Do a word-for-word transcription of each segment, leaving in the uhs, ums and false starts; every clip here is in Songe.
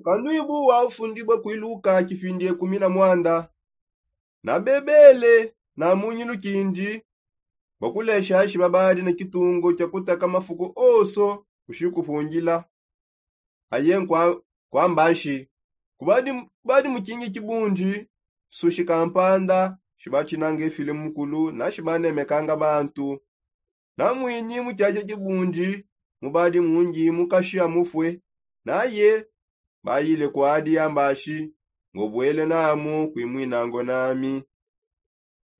Kanduibu wa ufundibua kuiluka kipindi ekumi na muanda. Na bebele na munyi lukindi bua kulesha shiba badi ne kitungu kia kuteka mafuku onso kushikupundila. Aye nkwamba nshi, kubadi mukingi kibundi, sushi kampanda shibatshinanga efile mukulu na shibanemekanga bantu. Na mwinyi mu tshiatsha tshibundi mubadi mungi mukashi amufue. Naye bayile kuadi ambashi, ngobuele namu kuimwinango nami.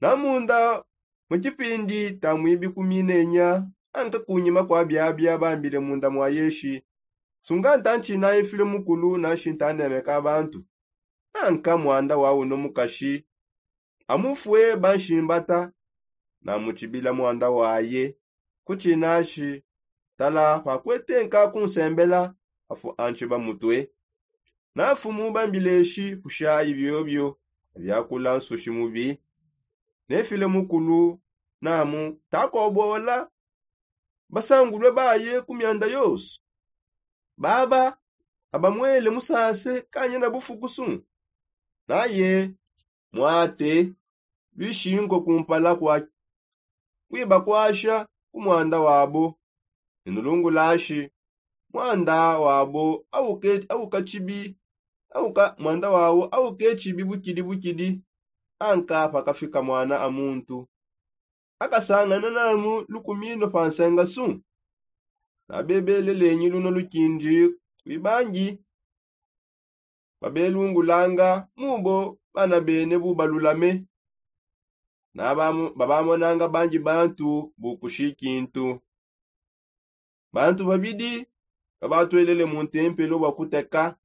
Na munda mu tshipindi ta muibi kuminenya anka kunyima kua biabia bambile munda mua yeshi, sunga nta ntshina efile mukulu na nshinta nemeka bantu. Anka muanda wa uno mukashi amufue banshimbata na mutshibila muanda waye. Kutshinashi tala pakuetenka kunsembela afu antshiba mutue. Na fumu bambileshi kushayi biobio biakula nsushi mubi. Nefile mukulu namu takobola basangulue baye ku mianda yonso. Baba abamuele musase kanyina bufukusu. Naye muate luishinko kumpala kua kuibakuasha ku muanda wabo. Nenulungulashi muanda wabo auke tshibi auka muanda wawo auke tshibi bukidi bukidi. Anka pakafika muana a muntu akasangana namu lukumino pa nsenga su. Na bebelelenyi luno lukindi kuibangi babelungulanga mubo bana bene bubalulame. Na babamonanga bangi bantu bukushi kintu. Bantu babidi babatuelele mu ntempelo bua kuteka.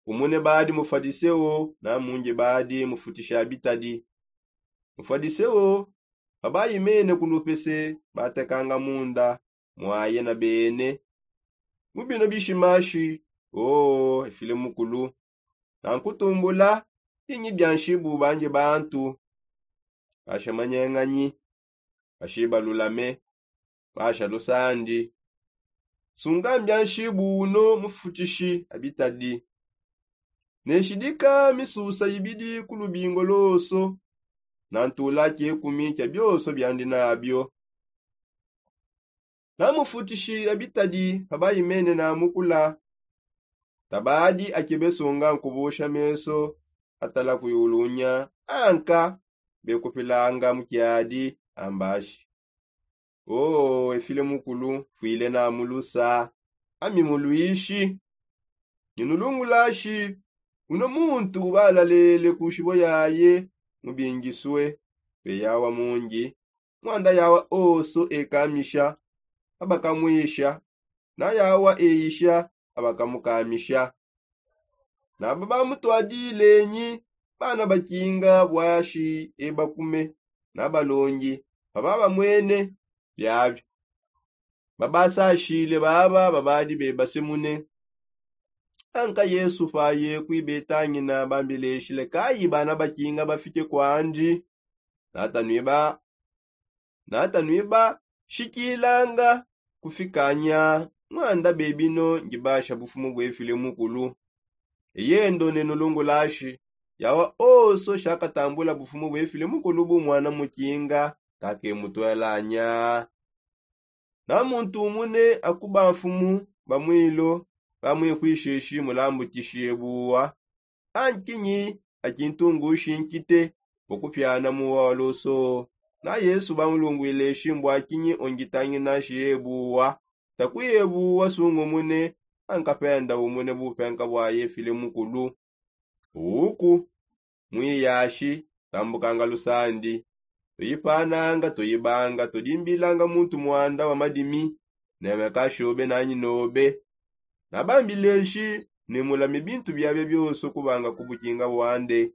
Umune badi mufadiseo na mungi badi mufutishi abitadi. Mufadiseo pabayi mene ku lupese batekanga munda muaye na bene mu bino bishimashi. Oo efile mukulu, nankutumbula binyi bia nshibu bangi bantu basha manyenganyi bashiba lulame basha lusandi. Sunga mbia nshibu uno mufutishi abitadi. Neshidika misusa ibidi ku lubingo loso na ntula kiekumi kia bioso biandi nabio. Na mufutishi abitadi pabayi mene na mukula tabadi akebe sunga nkubusha meso atala kuiulunya anka bekupilanga mukiadi ambashi. Oo efile mukulu fuile na mulusa ami muluishi. Nginulungulashi uno muntu ubalalele ku nshibo yaye mubingisue pe yawa mungi. Muanda yawa oso ekamisha abakamwisha na yawa eyisha abakamukamisha. Naba bamutuadilenyi bana bakinga buashi ebakume na balongi paba bamwene biabi babasashile baba babadi bebasemune. Anka yesu paye kuibetangina bambileshile kayi bana bakinga bafike kuandi. Natanuiba natanuibashikilanga kufikanya muanda bebino ngibasha bufumu buefile mukulu. Eyendo nenulungulashi yawa oso shakatambula bufumu buefile mukulu bu muana mukinga kakemutuelanya. Na muntu umune akuba nfumu ba muilo bamwikuisheshi mulambukishi ebuwa. Ankinyi akintungushi nkite bua kupiana muwa wa loso. Na yesu bamulungwile shimbua kinyi ongitangina shiebuwa. Takuyebuwa sungumune ankapenda umune bupenka bua yefile mukulu. Uku muiyashi tambukanga lusandi tuyipananga tuyibanga tudimbilanga muntu muanda wa madimi. Neme kashobe nanyi nobe. Nabambileshi ne mulame bintu biabia bioso kubanga ku bukinga buande.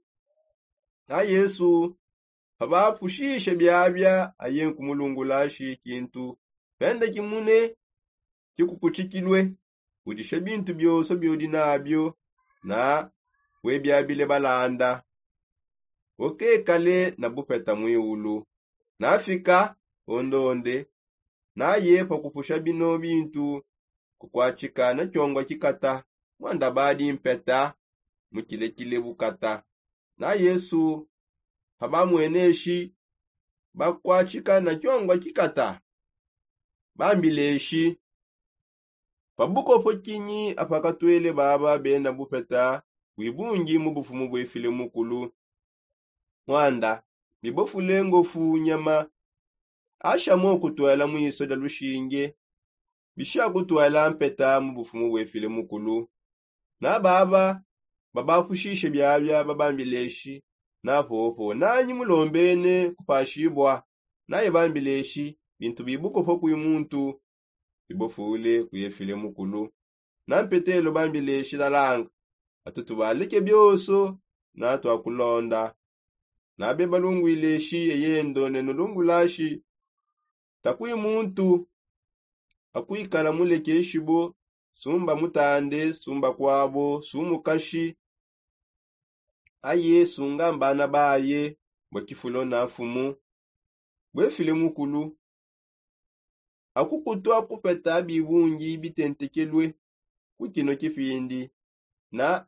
Na yesu pabapushishe biabia aye nkumulungulashi kintu penda kimune kikukutshikilue. Udisha bintu bioso biudi nabio na webiabile balanda. Ukekale na bupeta muiulu. Nafika ondonde naye pa kupusha bino bintu kukuatshika na tshiongua kikata. Mwanda badi mpeta mukilekile bukata. Na yesu pabamweneshi bakwatshika na kiongwa kikata. Bambileshi pabukopo kinyi apakatwele baba bena bupeta bwibungi mu bufumu bwefile mukulu? Mwanda bibofule ngofu nyama. Ashamo kutwela mwiso dia lushinge bishakutwela mpeta mu bufumu bwefile mukulu. Na baba babapushishe biabia babambileshi na popo nanyi mulombene kupashibua? Naye bambileshi bintu bibukopo kwi muntu bibofule kwi efile mukulu. Na mpetelo bambileshi talanga atu tubaleke bioso na twakulonda. Na beba lungwileshi eyendo ne nulungulashi takwi muntu akwikala mulekeshibo. Sumba mutande sumba kwabo sumukashi aye sunga mbana baye bwa kifulo na nfumu bwefile mukulu. Akukutu akupeta bibungi bitentekelue ku kino kipindi na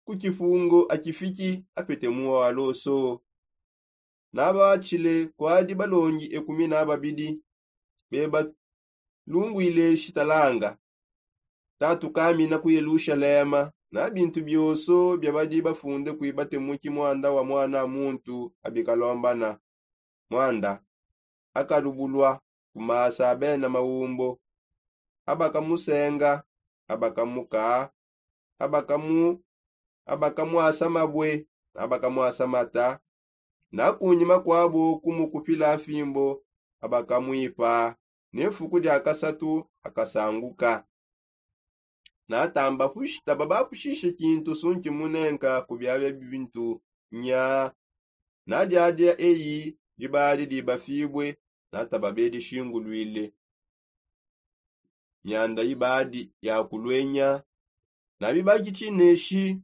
ku kifungo akifiki apete muwa wa loso. Na batshile kwadi balongi ekumi na babidi beba lungwile shitalanga tatukamina ku yelushalema na bintu bioso bia badi bafunde kwibatemuki mwanda wa mwana muntu abikalombana. Mwanda akalubulua ku masa a bena maumbo abakamusenga abakamuka abakamu abakamuasa mabue na abakamuasa mata. Na kunyima kuabo kumukupila nfimbo abakamuipa ne nfuku dia kasatu akasanguka. Natamba pushita babapushishe kintu sunki munenka ku biabia bintu nya. Nadiadia eyi dibadi dibafibue nataba bedishinguluile. Mianda ibadi yakuluenya na bibaki tshineshi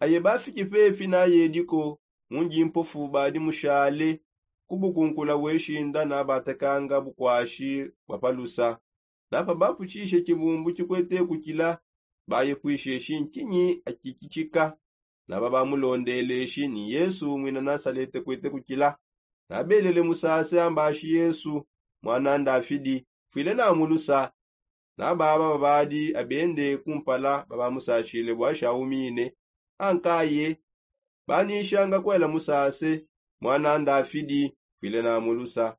aye bafiki pepi nayediko mundi mpofu badi mushale ku bukunkula bweshinda nabatakanga bukwashi bwa palusa. Na pabaputshishe tshibumbu tshikwete kukila bayepwisheshi ntshinyi akikitshika. Na babamulondeleshi ni yesu mwina nasalete kwete kukila. Na belele musase ambashi yesu mwana ndafidi fwile namulusa. Na baba babadi abende kumpala babamusashile bwashaumine ankaye banishanga kwela musase mwana ndafidi fwile namulusa.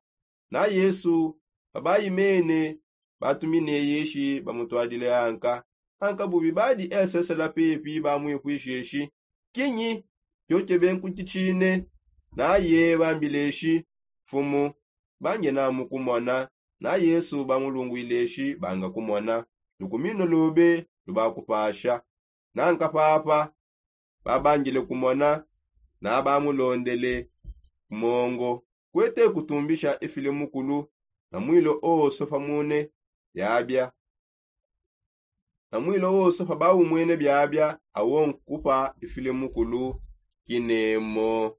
Na yesu babayimene batumine yeshi bamutwadile anka. Anka bubi badi esesela pepi bamwipwisheshi kinyi? Kiokebe nkutitshine. Naye bambileshi mfumu bange namukumona. Na yesu bamulungwileshi banga kumona lukumino lube lubakupasha. Nanka papa babangile kumona na bamulondele ku mongo kwete kutumbisha efile mukulu na mwilo oso pamune biabia. Na mwilo oso pabaumwene biabia awo nkupa efile mukulu kinemo.